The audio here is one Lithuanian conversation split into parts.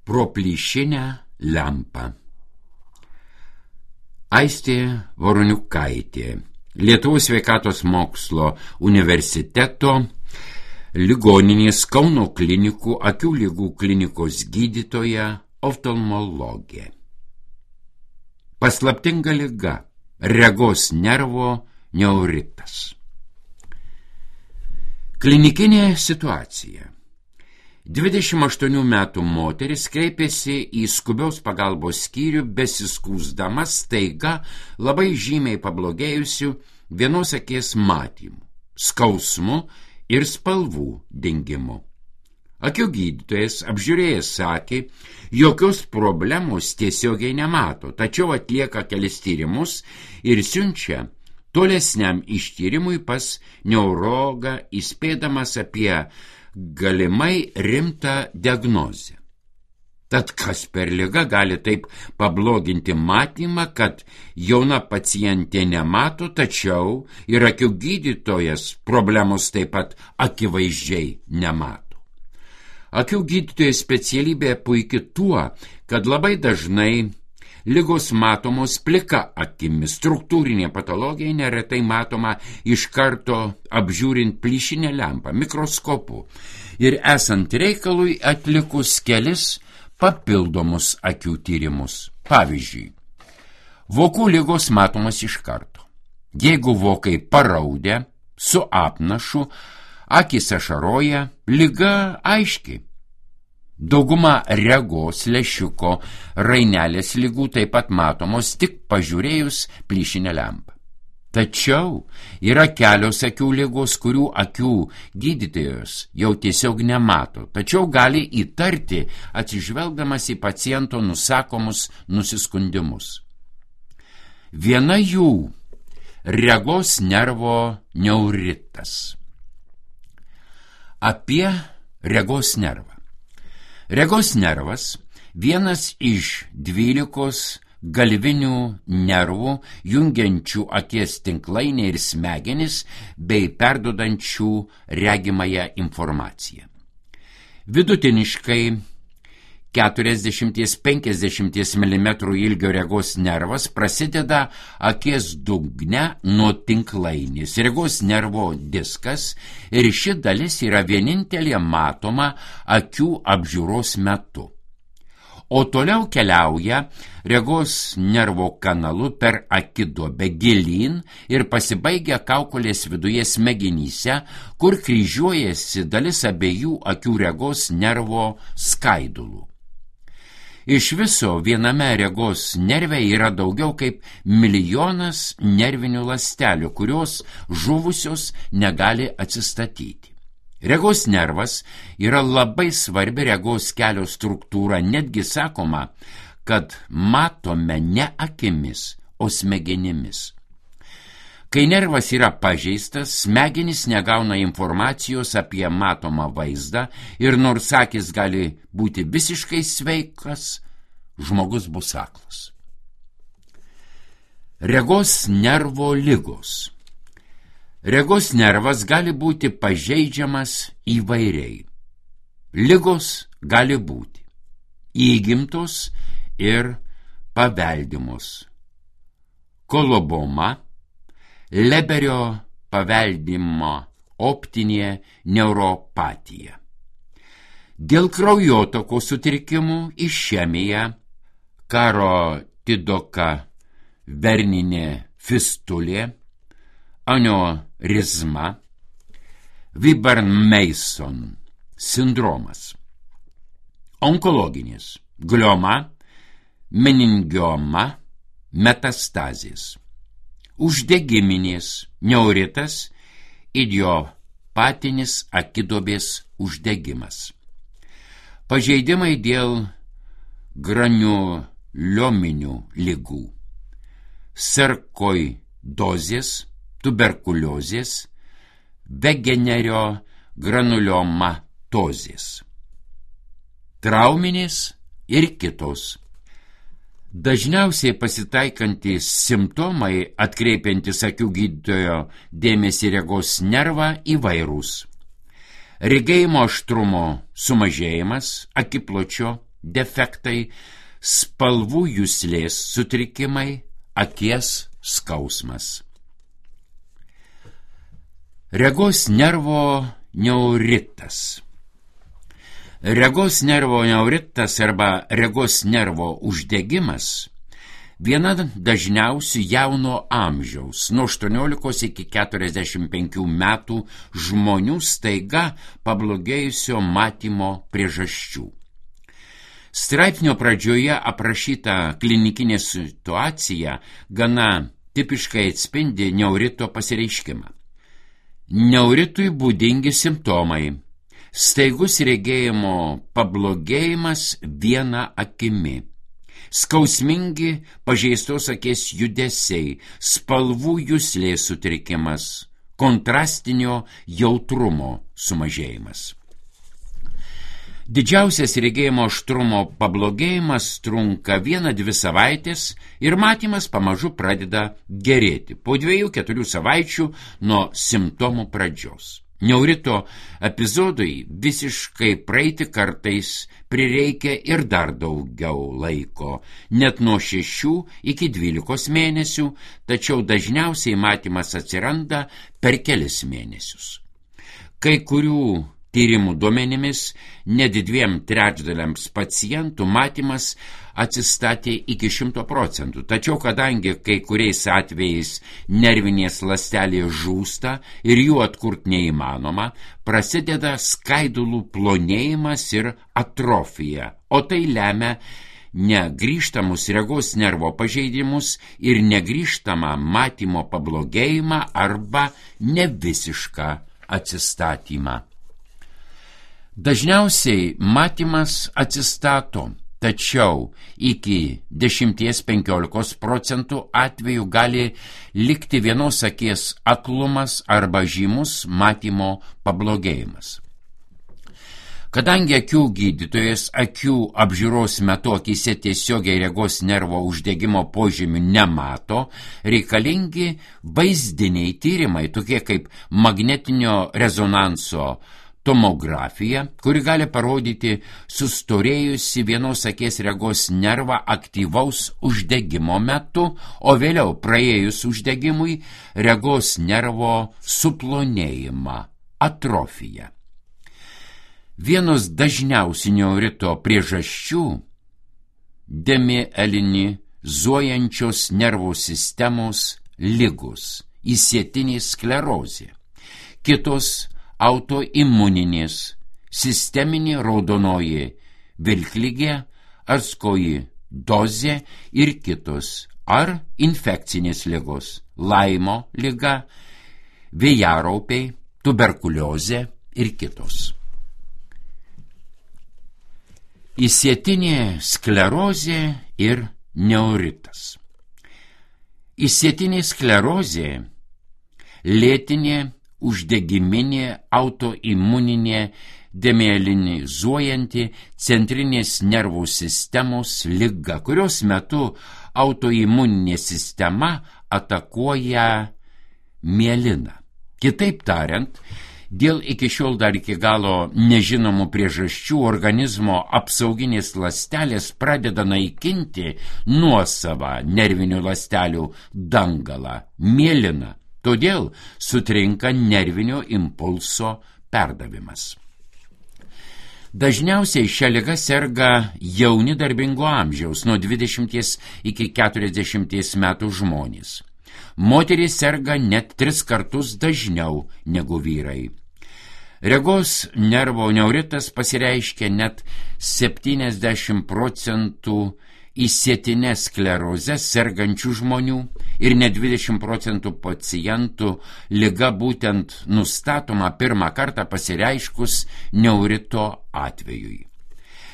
Pro plyšinę lempą. Aistė Voroniukaitė, Lietuvos sveikatos mokslo universiteto ligoninės Kauno klinikų akių ligų klinikos gydytoja, oftalmologė. Paslaptinga liga – regos nervo neuritas. Klinikinė situacija. 28 metų moteris kreipėsi į skubios pagalbos skyrių besiskųsdama staiga labai žymiai pablogėjusių vienos akies matymu, skausmu ir spalvų dingimu. Akių gydytojas apžiūrėjęs sakė, jokios problemos tiesiogiai nemato, tačiau atlieka kelis tyrimus ir siunčia tolesniam ištyrimui pas neurologą, įspėdamas apie galimai rimtą diagnozę. Tad kas per ligą gali taip pabloginti matymą, kad jauna pacientė nemato, tačiau ir akių gydytojas problemos taip pat akivaizdžiai nemato. Akių gydytojo specialybė puiki tuo, kad labai dažnai ligos matomos plika akimi, struktūrinė patologija neretai matoma iš karto apžiūrint plyšinę lempą, mikroskopu ir esant reikalui atlikus kelis papildomus akių tyrimus. Pavyzdžiui, vokų ligos matomas iš karto. Jeigu vokai paraudę, su apnašu, akys ašaroja, liga aiški. Dauguma regos, lęšiuko, rainelės ligų taip pat matomos tik pažiūrėjus plyšinę lempą. Tačiau yra kelios akių ligos, kurių akių gydytojas jau tiesiog nemato, tačiau gali įtarti atsižvelgdamas į paciento nusakomus nusiskundimus. Viena jų – regos nervo neuritas. Apie regos nervą. Regos nervas vienas iš 12 galvinių nervų jungiančių akies tinklainę ir smegenis bei perduodančių regimąją informaciją. Vidutiniškai 40–50 mm ilgio regos nervas prasideda akies dugne nuo tinklainės, regos nervo diskas, ir ši dalis yra vienintelė matoma akių apžiūros metu. O toliau keliauja regos nervo kanalu per akiduobę gilyn ir pasibaigia kaukolės viduje smegenyse, kur kryžiuojasi dalis abiejų akių regos nervo skaidulų. Iš viso viename regos nerve yra daugiau kaip 1 milijonas nervinių ląstelių, kurios žuvusios negali atsistatyti. Regos nervas yra labai svarbi regos kelio struktūra, netgi sakoma, kad matome ne akimis, o smegenimis. Kai nervas yra pažeistas, smegenys negauna informacijos apie matomą vaizdą ir nors akis gali būti visiškai sveikas, žmogus bus aklas. Regos nervo ligos. Regos nervas gali būti pažeidžiamas įvairiai. Ligos gali būti įgimtos ir paveldimos. Koloboma, Leberio paveldimo optinė neuropatija. Dėl kraujotakos sutrikimų išemija, karotidoka verninė fistulė, aneurizma, Wyburn-Mason sindromas. Onkologinės, glioma, meningioma, metastazės. Uždegiminės, neuritas, idiopatinis akiduobės uždegimas. Pažeidimai dėl granuliominių ligų, sarkoidozės, tuberkuliozės, vegenerio granuliomatozės. Trauminės ir kitos. Dažniausiai pasitaikantys simptomai, atkreipiantis akių gydytojo dėmesį regos nervą, įvairūs. Regėjimo aštrumo sumažėjimas, akipločio, defektai, spalvų juslės sutrikimai, akies skausmas. Regos nervo neuritas. Regos nervo neuritas arba regos nervo uždegimas viena dažniausių jauno amžiaus, nuo 18 iki 45 metų žmonių staiga pablogėjusio matymo priežasčių. Straipsnio pradžioje aprašyta klinikinė situacija gana tipiškai atspindi neurito pasireiškimą. Neuritui būdingi simptomai: staigus regėjimo pablogėjimas viena akimi, skausmingi pažeistos akies judesiai, spalvų juslės sutrikimas, kontrastinio jautrumo sumažėjimas. Didžiausias regėjimo aštrumo pablogėjimas trunka 1-2 savaitės ir matymas pamažu pradeda gerėti po 2-4 savaičių nuo simptomų pradžios. Neurito epizodui visiškai praeiti kartais prireikia ir dar daugiau laiko, net nuo 6 iki 12 mėnesių, tačiau dažniausiai matymas atsiranda per kelis mėnesius. Kai kurių tyrimų duomenimis net 2/3 pacientų matymas atsistatė iki 100%, tačiau kadangi kai kuriais atvejais nervinės ląstelės žūsta ir jų atkurt neįmanoma, prasideda skaidulų plonėjimas ir atrofija, o tai lemia negrįžtamus regos nervo pažeidimus ir negrįžtamą matymo pablogėjimą arba nevisišką atsistatymą. Dažniausiai matymas atsistato, tačiau iki 10–15% atvejų gali likti vienos akies aklumas arba žymus matymo pablogėjimas. Kadangi akių gydytojas akių apžiūros metu akyse tiesiogiai regos nervo uždegimo požymių nemato, reikalingi vaizdiniai tyrimai, tokie kaip magnetinio rezonanso tomografija, kuri gali parodyti sustorėjusi vienos akies regos nervą aktyvaus uždegimo metu, o vėliau praėjus uždegimui regos nervo suplonėjimą, atrofiją. Vienos dažniausių neurito priežasčių – demielinizuojančios nervų sistemos ligos, įsietinė sklerozė, kitos autoimuninės, sisteminė raudonoji vilkligė, arskoji dozė ir kitos, ar infekcinės ligos, Laimo liga, vėjaraupiai, tuberkuliozė ir kitos. Įsietinė sklerozė ir neuritas. Įsietinė sklerozė lėtinė uždegiminė autoimuninė demielinizuojanti centrinės nervų sistemos liga, kurios metu autoimuninė sistema atakuoja mieliną. Kitaip tariant, dėl iki šiol dar iki galo nežinomų priežasčių organizmo apsauginės ląstelės pradeda naikinti nuosavą nervinių ląstelių dangalą, mieliną. Todėl sutrinka nervinio impulso perdavimas. Dažniausiai šią ligą serga jauni darbingo amžiaus, nuo 20 iki 40 metų žmonės. Moterys serga net 3 kartus dažniau negu vyrai. Regos nervo neuritas pasireiškia net 70% įsietinę sklerozę sergančių žmonių ir net 20% pacientų liga būtent nustatoma pirmą kartą pasireiškus neurito atvejui.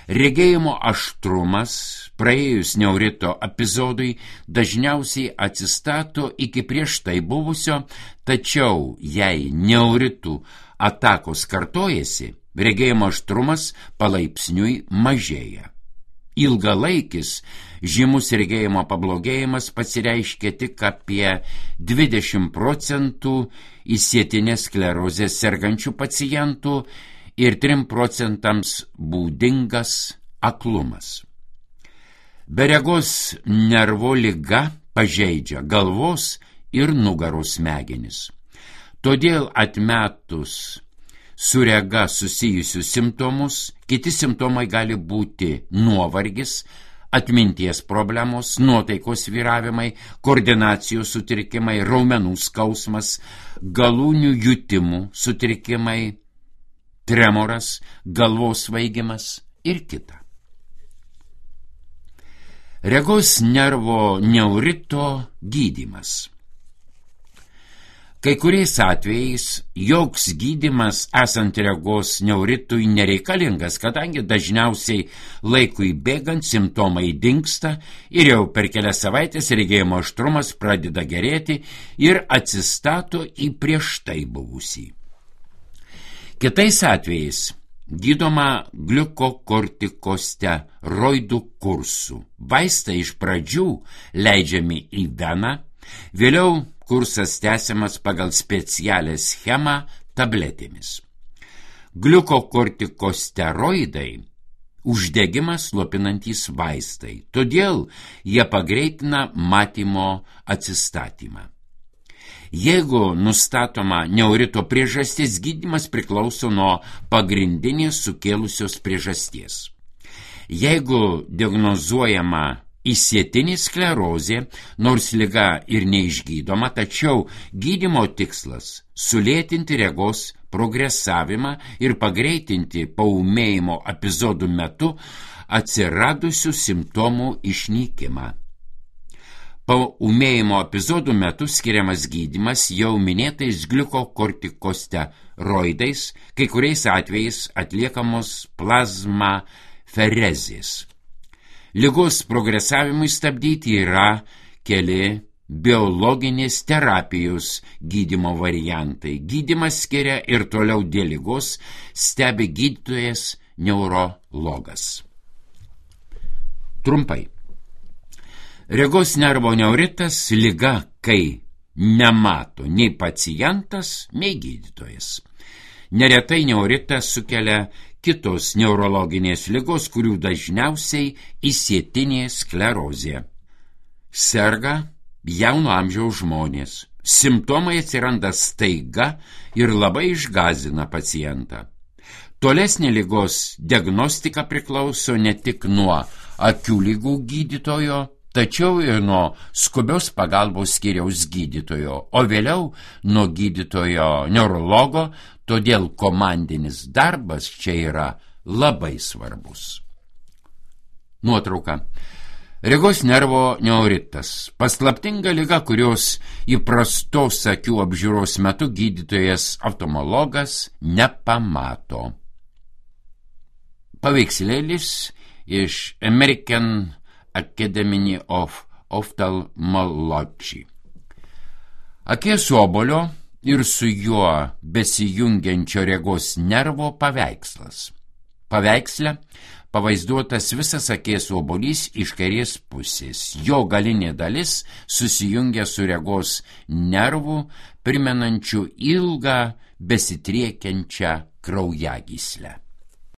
Regėjimo aštrumas praėjus neurito epizodui dažniausiai atsistato iki prieš tai buvusio, tačiau jei neuritų atakos kartojasi, regėjimo aštrumas palaipsniui mažėja. Ilgalaikis žymus regėjimo pablogėjimas pasireiškia tik apie 20% įsietinę sklerozę sergančių pacientų ir 3% būdingas aklumas. Be regos nervo liga pažeidžia galvos ir nugaros smegenis. Todėl atmetus su rega susijusius simptomus, kiti simptomai gali būti nuovargis, atminties problemos, nuotaikos svyravimai, koordinacijos sutrikimai, raumenų skausmas, galūnių jutimų sutrikimai, tremoras, galvos svaigimas ir kita. Regos nervo neurito gydymas. Kai kuriais atvejais joks gydymas esant regos neuritui nereikalingas, kadangi dažniausiai laikui bėgant simptomai dingsta ir jau per kelias savaitės regėjimo aštrumas pradeda gerėti ir atsistato į prieš tai buvusį. Kitais atvejais gydoma gliukokortikosteroidų kursu. Vaistai iš pradžių leidžiami į veną, vėliau kursas tęsiamas pagal specialią schemą tabletėmis. Gliukokortikosteroidai uždegimą slopinantys vaistai, todėl jie pagreitina matymo atsistatymą. Jeigu nustatoma neurito priežastis, gydymas priklauso nuo pagrindinės sukėlusios priežasties. Jeigu diagnozuojama išsėtinė sklerozė, nors liga ir neišgydoma, tačiau gydymo tikslas – sulėtinti regos progresavimą ir pagreitinti paūmėjimo epizodų metu atsiradusių simptomų išnykimą. Paūmėjimo epizodų metu skiriamas gydymas jau minėtais gliukokortikosteroidais, kai kuriais atvejais atliekamos plazmaferezės. Ligos progresavimui stabdyti yra keli biologinės terapijos gydymo variantai. Gydymą skiria ir toliau dėl ligos stebi gydytojas neurologas. Trumpai. Regos nervo neuritas liga, kai nemato nei pacientas, nei gydytojas. Neretai neuritas sukelia kitos neurologinės ligos, kurių dažniausiai išsėtinė sklerozė. Serga jauno amžiaus žmonės. Simptomai atsiranda staiga ir labai išgąsdina pacientą. Tolesnė ligos diagnostika priklauso ne tik nuo akių ligų gydytojo, tačiau ir nuo skubios pagalbos skyriaus gydytojo, o vėliau nuo gydytojo neurologo, todėl komandinis darbas čia yra labai svarbus. Nuotrauka. Regos nervo neuritas. Paslaptinga liga, kurios įprastos akių apžiūros metu gydytojas oftalmologas nepamato. Paveikslėlis iš American Academy of Ophthalmology. Akies obuolio ir su juo besijungiančio regos nervo paveikslas. Paveiksle pavaizduotas visas akies obuolys iš kairės pusės. Jo galinė dalis susijungia su regos nervu, primenančiu ilgą besitriekiančią kraujagyslę.